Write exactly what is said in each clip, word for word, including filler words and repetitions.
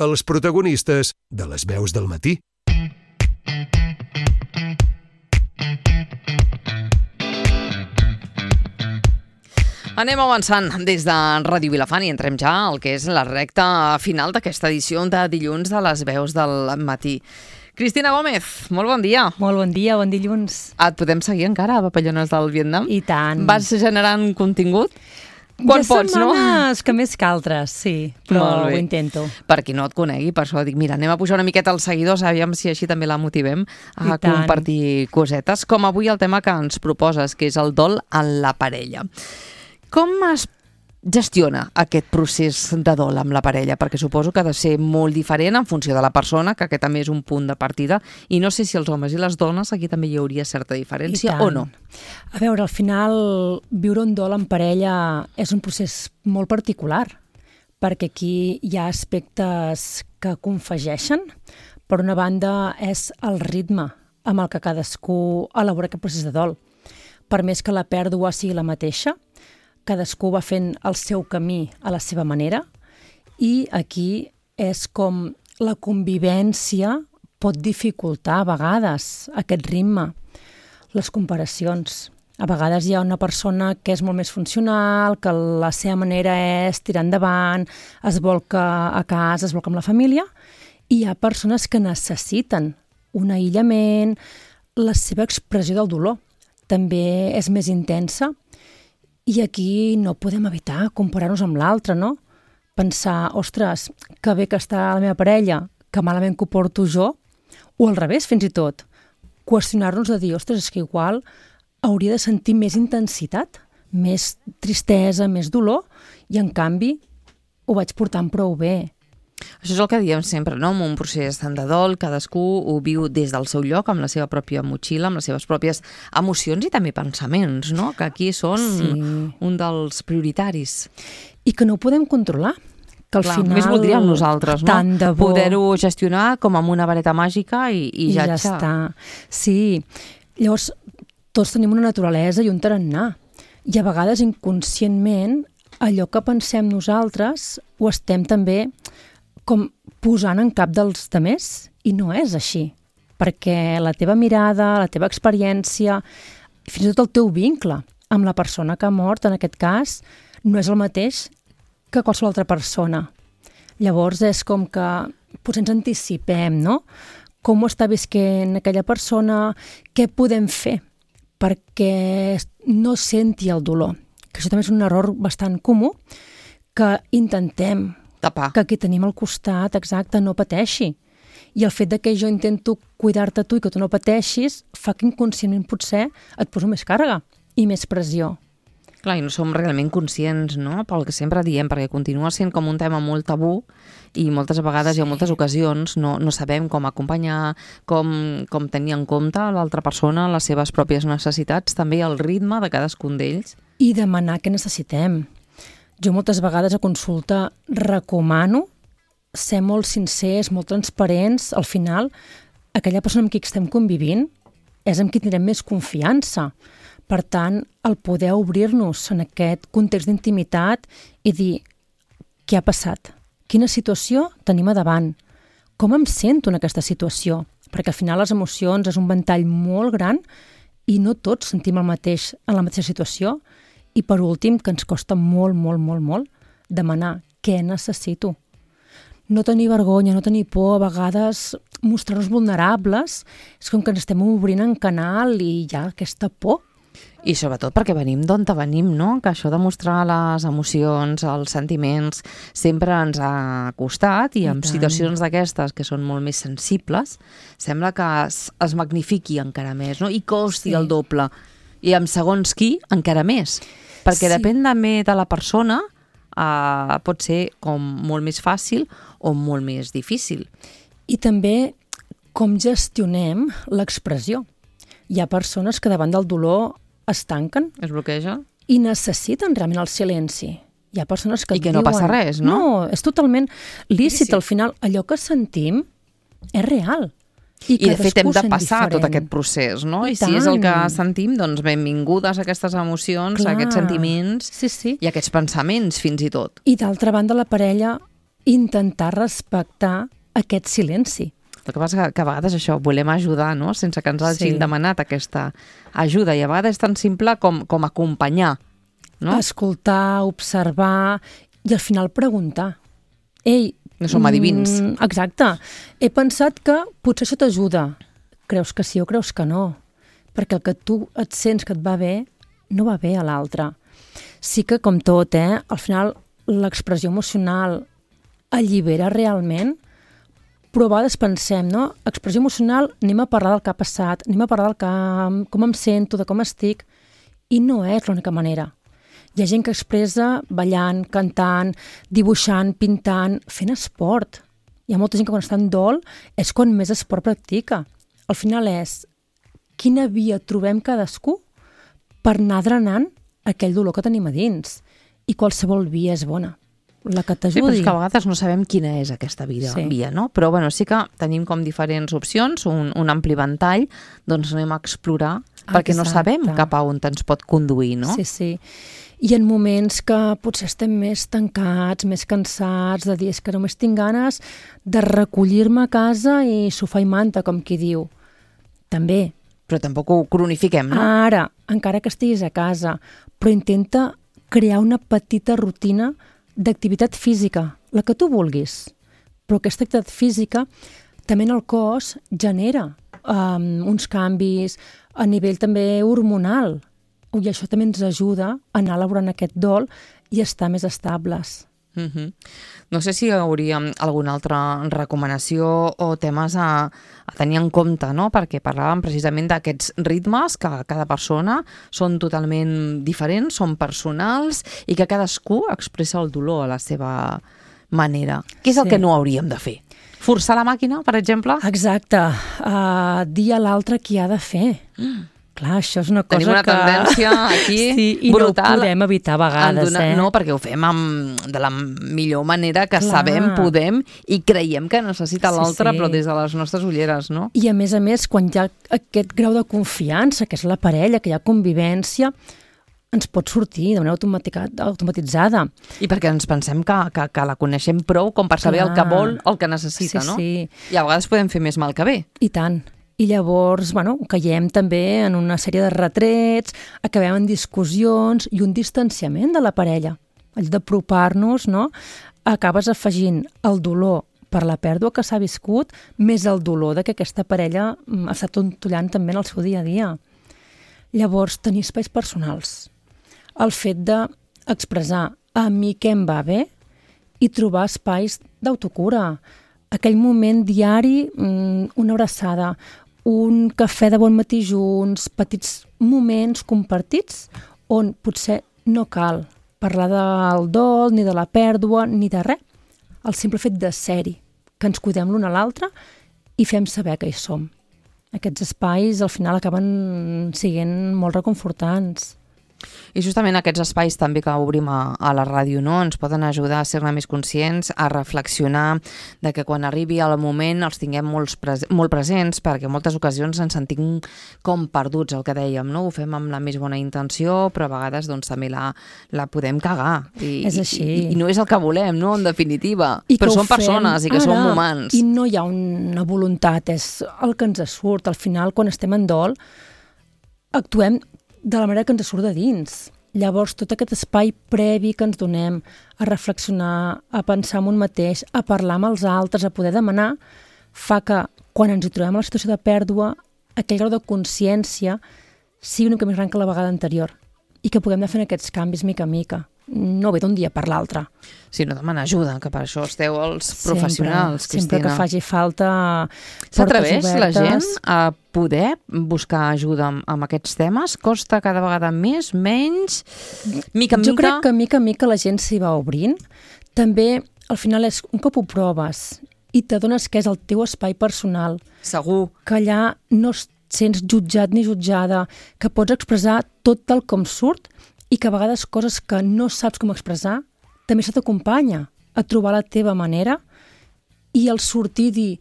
els protagonistes de les veus del matí. Anem avançant des de Ràdio Vilafant i entrem ja al que és la recta final d'aquesta edició de dilluns de les veus del matí. Cristina Gómez, molt bon dia. Molt bon dia, bon dilluns. Et podem seguir encara a Papallones del Vietnam? I tant. Vas generant contingut? Quan de pots, no? setmanes que més que altres, sí, però ho intento. Per qui no et conegui, per això dic, mira, anem a pujar una miqueta els seguidors, aviam si així també la motivem a compartir cosetes, com avui el tema que ens proposes, que és el dol en la parella. Com es gestiona aquest procés de dol amb la parella? Perquè suposo que ha de ser molt diferent en funció de la persona, que aquest també és un punt de partida, i no sé si els homes i les dones aquí també hi hauria certa diferència o no. A veure, al final, viure un dol en parella és un procés molt particular, perquè aquí hi ha aspectes que confegeixen. Per una banda, és el ritme amb el que cadascú elabora aquest procés de dol. Per més que la pèrdua sigui la mateixa, cadascú va fent el seu camí a la seva manera i aquí és com la convivència pot dificultar a vegades aquest ritme, les comparacions. A vegades hi ha una persona que és molt més funcional, que la seva manera és tirar endavant, es volca a casa, es volca amb la família, i hi ha persones que necessiten un aïllament, la seva expressió del dolor també és més intensa. I aquí no podem evitar comparar-nos amb l'altre, no? Pensar, ostres, que bé que està la meva parella, que malament que ho porto jo, o al revés, fins i tot. Qüestionar-nos de dir, ostres, és que igual hauria de sentir més intensitat, més tristesa, més dolor, i en canvi ho vaig portant prou bé. Això és el que diem sempre, no? En un procés de dol, cadascú ho viu des del seu lloc, amb la seva pròpia motxilla, amb les seves pròpies emocions i també pensaments, no? Que aquí són sí. un dels prioritaris. I que no ho podem controlar. Que al Clar, final... Més voldríem nosaltres, no? Tant de bo. Poder-ho gestionar com amb una vareta màgica i, i, I ja, ja està. Sí. Llavors, tots tenim una naturalesa i un tarannà. I a vegades, inconscientment, allò que pensem nosaltres ho estem també com posant en cap dels demés, i no és així, perquè la teva mirada, la teva experiència, fins i tot el teu vincle amb la persona que ha mort, en aquest cas, no és el mateix que qualsevol altra persona. Llavors és com que potser ens anticipem, no? Com ho està visquent aquella persona, què podem fer perquè no senti el dolor. Que això també és un error bastant comú, que intentem tapar. Que qui tenim al costat, exacte, no pateixi. I el fet de que jo intento cuidar-te tu i que tu no pateixis fa que inconscientment potser et poso més càrrega i més pressió. Clar, i no som realment conscients, no?, pel que sempre diem, perquè continua sent com un tema molt tabú i moltes vegades sí. i en moltes ocasions no, no sabem com acompanyar, com, com tenir en compte l'altra persona, les seves pròpies necessitats, també el ritme de cadascun d'ells. I demanar què necessitem. Jo moltes vegades a consulta recomano ser molt sincers, molt transparents. Al final, aquella persona amb qui estem convivint és amb qui tindrem més confiança. Per tant, el poder obrir-nos en aquest context d'intimitat i dir què ha passat, quina situació tenim a davant, com em sento en aquesta situació, perquè al final les emocions és un ventall molt gran i no tots sentim el mateix en la mateixa situació. I per últim, que ens costa molt, molt, molt, molt demanar què necessito. No tenir vergonya, no tenir por, a vegades mostrar-nos vulnerables, és com que ens estem obrint en canal i hi ha aquesta por. I sobretot perquè venim d'on venim, no? Que això de mostrar les emocions, els sentiments, sempre ens ha costat i en situacions d'aquestes que són molt més sensibles, sembla que es, es magnifiqui encara més, no? I costi sí. el doble. I amb segons qui, encara més. Perquè sí. depèn també de la persona, eh, pot ser com molt més fàcil o molt més difícil. I també com gestionem l'expressió. Hi ha persones que davant del dolor es tanquen. Es bloqueja. I necessiten realment el silenci. Hi ha persones que I que diuen, no passa res, no? No, és totalment lícit. Sí, sí. Al final, allò que sentim és real. I, I de fet hem de passar tot aquest procés, no? I, I si és el que sentim, doncs benvingudes aquestes emocions, Clar. aquests sentiments sí, sí. i aquests pensaments fins i tot. I d'altra banda la parella intentar respectar aquest silenci. El que passa que, que a vegades això, volem ajudar, no?, sense que ens hagin Sí. demanat aquesta ajuda, i a vegades és tan simple com, com acompanyar, no? Escoltar, observar i al final preguntar. Ei, No som adivins. Mm, exacte. He pensat que potser això t'ajuda. Creus que sí o creus que no? Perquè el que tu et sents que et va bé, no va bé a l'altre. Sí que, com tot, eh, al final l'expressió emocional allibera realment, però a vegades pensem, no? Expressió emocional, anem a parlar del que ha passat, anem a parlar del que, com em sento, de com estic, i no és l'única manera. Hi ha gent que expressa ballant, cantant, dibuixant, pintant, fent esport. Hi ha molta gent que quan està en dol és quan més esport practica. Al final és quina via trobem cadascú per anar drenant aquell dolor que tenim a dins. I qualsevol via és bona, la que Sí, però t'ajudi. és que a vegades no sabem quina és aquesta via, Sí. via no? Però bueno, sí que tenim com diferents opcions, un, un ampli ventall, doncs anem a explorar, perquè no Exacte. sabem cap a on ens pot conduir, no? Sí, sí. I en moments que potser estem més tancats, més cansats, de dir és que només tinc ganes de recollir-me a casa i sofà i manta, com qui diu. També. Però tampoc ho cronifiquem, no? Ara, encara que estiguis a casa, però intenta crear una petita rutina d'activitat física, la que tu vulguis. Però aquesta activitat física també en el cos genera um, uns canvis a nivell també hormonal. I això també ens ajuda a anar elaborant aquest dol i estar més estables. Uh-huh. No sé si hi hauria alguna altra recomanació o temes a, a tenir en compte, no? Perquè parlàvem precisament d'aquests ritmes que cada persona són totalment diferents, són personals i que cadascú expressa el dolor a la seva manera. Què és el Sí. que no hauríem de fer? Forçar la màquina, per exemple? Exacte. Uh, dir a l'altre qui ha de fer. Mm. Clar, això és una cosa Tenim una que... tendència aquí sí, i brutal. no ho podem evitar a vegades, donar, eh? No, perquè ho fem amb, de la millor manera que Clar. sabem, podem, i creiem que necessita Sí, l'altre, sí. però des de les nostres ulleres, no? I a més a més, quan hi ha aquest grau de confiança, que és la parella, que hi ha convivència, ens pot sortir de manera automatica- automatitzada. I perquè ens pensem que, que, que la coneixem prou com per saber Clar. el que vol, el que necessita, Sí, no? sí. I a vegades podem fer més mal que bé. I tant. I llavors, bueno, caiem també en una sèrie de retrets, acabem en discussions i un distanciament de la parella. En lloc d'apropar-nos, no? Acabes afegint el dolor per la pèrdua que s'ha viscut, més el dolor de que aquesta parella mm, està tontollant també en el seu dia a dia. Llavors, tenir espais personals. El fet d'expressar a mi què em va bé i trobar espais d'autocura. Aquell moment diari, una abraçada, un cafè de bon matí junts, petits moments compartits on potser no cal parlar del dol, ni de la pèrdua, ni de res. El simple fet de ser-hi, que ens cuidem l'un a l'altre i fem saber que hi som. Aquests espais al final acaben sent molt reconfortants. I justament aquests espais també que obrim a, a la ràdio, no? Ens poden ajudar a ser-ne més conscients, a reflexionar de que quan arribi el moment els tinguem molts pres molt presents, perquè en moltes ocasions ens sentim com perduts, el que dèiem, no? Ho fem amb la més bona intenció, però a vegades doncs, també la, la podem cagar. I, És així. I, I no és el que volem, no? En definitiva. I que però ho som persones fem i que ara, som humans. I no hi ha una voluntat, és el que ens surt. Al final, quan estem en dol, actuem de la manera que ens surt de dins. Llavors, tot aquest espai previ que ens donem a reflexionar, a pensar en un mateix, a parlar amb els altres, a poder demanar, fa que quan ens hi trobem a la situació de pèrdua, aquell grau de consciència sigui una mica més gran que la vegada anterior i que puguem anar fent aquests canvis mica a mica. No ve d'un dia per l'altre. Sí, no demanar ajuda, que per això esteu els professionals, sempre, sempre Cristina. que faci falta portes S'atreveix la gent obertes. a poder buscar ajuda amb, amb aquests temes? Costa cada vegada més, menys, mica en Jo mica? crec que mica en mica la gent s'hi va obrint. També, al final, és un cop ho proves i t'adones que és el teu espai personal, Segur. que allà no et sents jutjat ni jutjada, que pots expressar tot tal com surt i que a vegades coses que no saps com expressar també se t'acompanya a trobar la teva manera i al sortir dir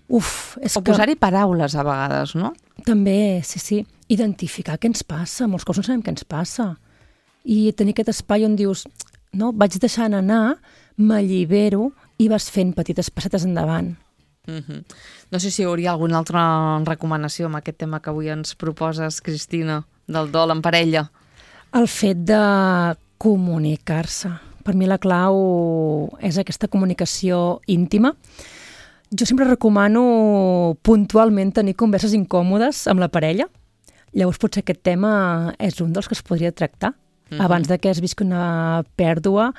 uf, és O que... posar-hi paraules a vegades, no? També, sí, sí. Identificar què ens passa. Molts cops no sabem què ens passa. I tenir aquest espai on dius no, vaig deixant anar, m'allibero i vas fent petites passetes endavant. Mm-hmm. No sé si hi hauria alguna altra recomanació amb aquest tema que avui ens proposes, Cristina, del dol en parella. El fet de comunicar-se. Per mi la clau és aquesta comunicació íntima. Jo sempre recomano puntualment tenir converses incòmodes amb la parella. Llavors potser aquest tema és un dels que es podria tractar. Mm-hmm. Abans de que es visqui una pèrdua,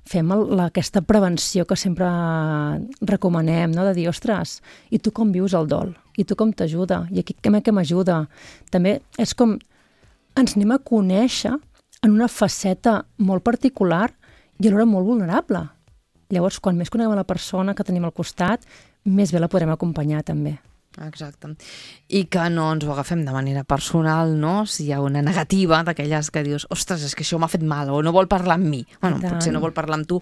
fem el, aquesta prevenció que sempre recomanem, no? De dir, ostres, i tu com vius el dol? I tu com t'ajuda? I aquí què m'ajuda? També és com ens anem a conèixer en una faceta molt particular i alhora molt vulnerable. Llavors, quan més coneguem a la persona que tenim al costat, més bé la podrem acompanyar també. Exacte. I que no ens ho agafem de manera personal, no? Si hi ha una negativa d'aquelles que dius, ostres, és que això m'ha fet mal, o no vol parlar amb mi. Bueno, potser no vol parlar amb tu.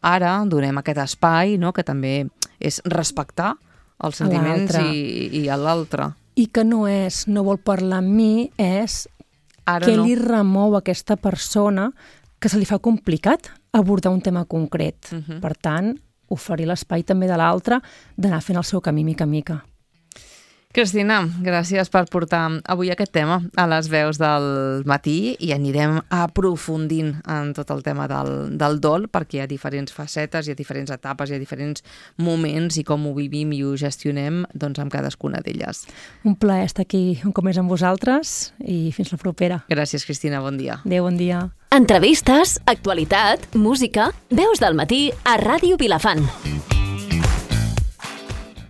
Ara donem aquest espai, no?, que també és respectar els sentiments i, i a l'altre. I que no és, no vol parlar amb mi, és Ara què no. li remou a aquesta persona que se li fa complicat abordar un tema concret. Uh-huh. Per tant, oferir l'espai també de l'altre d'anar fent el seu camí mica en mica. Cristina, gràcies per portar avui aquest tema a les veus del matí i anirem aprofundint en tot el tema del, del dol, perquè hi ha diferents facetes, hi ha diferents etapes, hi ha diferents moments i com ho vivim i ho gestionem doncs, amb cadascuna d'elles. Un plaer estar aquí un cop més amb vosaltres i fins la propera. Gràcies, Cristina, bon dia. Adéu, bon dia. Entrevistes, actualitat, música, veus del matí a Ràdio Vilafant.